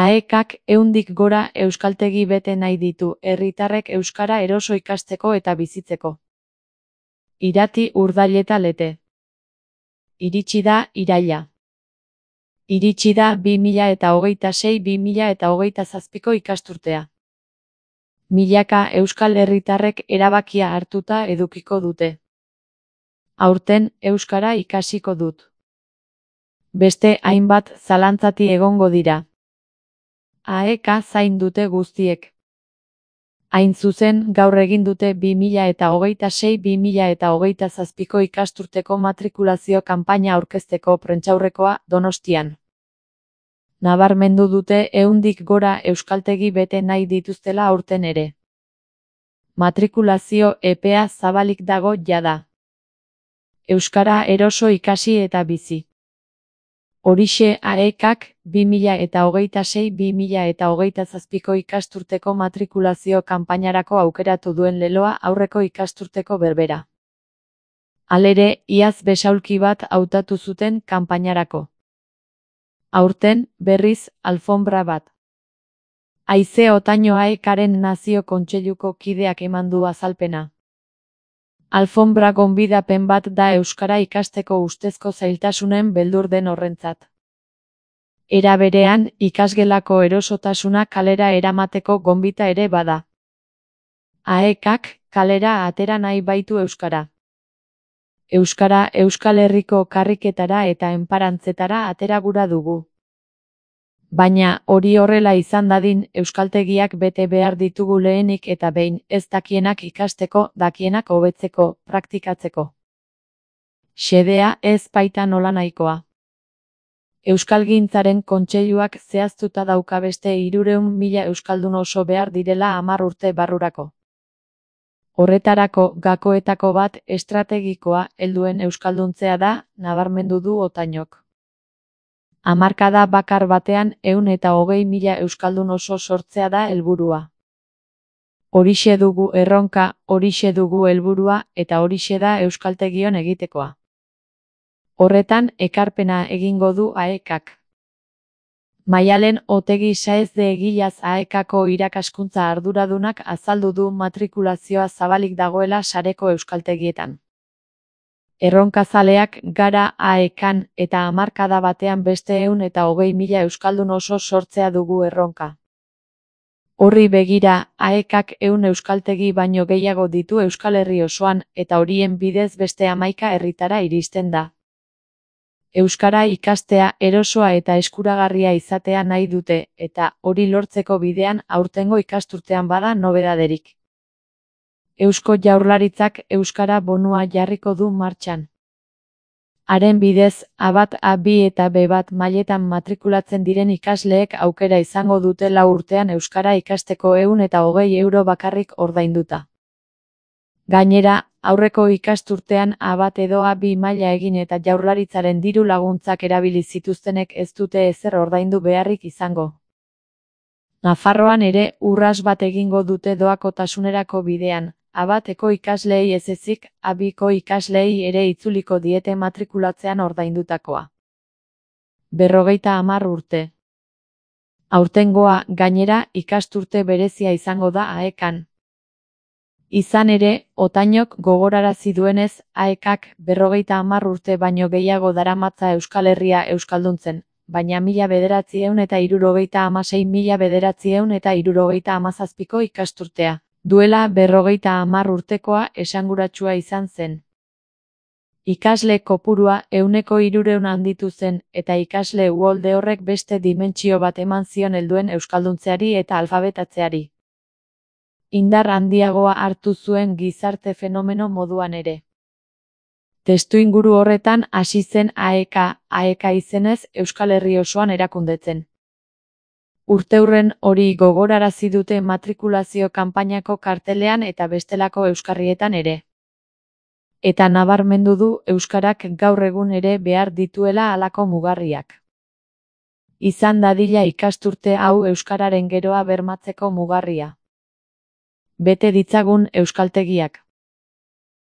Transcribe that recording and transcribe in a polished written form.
AEKak 100tik gora euskaltegi bete nahi ditu herritarrek euskara eroso ikasteko eta bizitzeko. Irati, Urdail eta Lete. Iritsi da iraila. Iritsi da 2026-2027ko ikasturtea. Milaka euskal herritarrek erabakia hartuta edukiko dute. Aurten euskara ikasiko dut. Beste hainbat zalantzati egongo dira. AEK zain dute guztiek. Hain zuzen, gaur egin dute 2026-2027ko ikasturteko matrikulazio kanpaina aurkezteko prentsaurrekoa Donostian. Nabarmendu dute 100tik gora euskaltegi bete nahi dituztela aurten ere. Matrikulazio epea zabalik dago jada. Euskara eroso ikasi eta bizi. Horixe AEKak 2026-2027ko ikasturteko matrikulazio kanpainarako aukeratu duen leloa aurreko ikasturteko berbera. Halere, iaz besaulki bat hautatu zuten kanpainarako. Aurten, berriz, alfonbra bat. Haize Otaño AEKaren Nazio Kontseiluko kideak eman du azalpena. Alfonbra gonbidapen bat da euskara ikasteko ustezko zailtasunen beldur den horrentzat. Era berean, ikasgelako erosotasuna kalera eramateko gonbita ere bada. AEKak kalera atera nahi baitu euskara. Euskara Euskal Herriko karriketara eta enparantzetara atera gura dugu. Baina, hori horrela izan dadin, euskaltegiak bete behar ditugu lehenik eta behin, ez dakienak ikasteko, dakienak hobetzeko, praktikatzeko. Xedea ez baita nolanahikoa. Euskalgintzaren Kontseiluak zehaztuta dauka beste 300.000 euskaldun oso behar direla 10 urte barrurako. Horretarako, gakoetako bat estrategikoa helduen euskalduntzea da, nabarmendu du Otañok. Hamarkada bakar batean 120.000 euskaldun oso sortzea da helburua. Horixe dugu erronka, horixe dugu helburua eta horixe da euskaltegion egitekoa. Horretan ekarpena egingo du AEKak. Maialen Otegi Saez de Egilaz AEKako irakaskuntza arduradunak azaldu du matrikulazioa zabalik dagoela sareko euskaltegietan. Erronkazaleak gara AEKan eta hamarkada batean beste 120.000 euskaldun oso sortzea dugu erronka. Horri begira, AEKak 100 euskaltegi baino gehiago ditu Euskal Herri osoan eta horien bidez beste 11 herritara iristen da. Euskara ikastea erosoa eta eskuragarria izatea nahi dute eta hori lortzeko bidean aurtengo ikasturtean bada nobedaderik. Eusko Jaurlaritzak euskara bonua jarriko du martxan. Haren bidez, A1, A2 eta B1 mailetan matrikulatzen diren ikasleek aukera izango dute 4 urtean euskara ikasteko 120 euro bakarrik ordainduta. Gainera, aurreko ikasturtean A1 edo A2 maila egin eta Jaurlaritzaren diru laguntzak erabili zituztenek ez dute ezer ordaindu beharrik izango. Nafarroan ere urras bat egingo dute doakotasunerako bidean. A1eko ikasleei ez ezik, A2ko ikasleei ere itzuliko diete matrikulatzean ordaindutakoa. 50 urte. Aurtengoa, gainera, ikasturte berezia izango da AEKan. Izan ere, Otañok gogorarazi duenez, AEKak 50 urte baino gehiago daramatza Euskal Herria euskalduntzen, baina 1996-1997ko ikasturtea. Duela 50 urtekoa esanguratsua izan zen. Ikasle kopurua 300 handitu zen eta ikasle uholde horrek beste dimentsio bat eman zion helduen euskalduntzeari eta alfabetatzeari. Indar handiagoa hartu zuen gizarte fenomeno moduan ere. Testuinguru horretan hasi zen AEK izenez Euskal Herri osoan erakundetzen. Urteurren hori gogorarazi dute matrikulazio kanpainako kartelean eta bestelako euskarrietan ere. Eta nabarmendu du euskarak gaur egun ere behar dituela halako mugarriak. Izan dadila ikasturte hau euskararen geroa bermatzeko mugarria. Bete ditzagun euskaltegiak.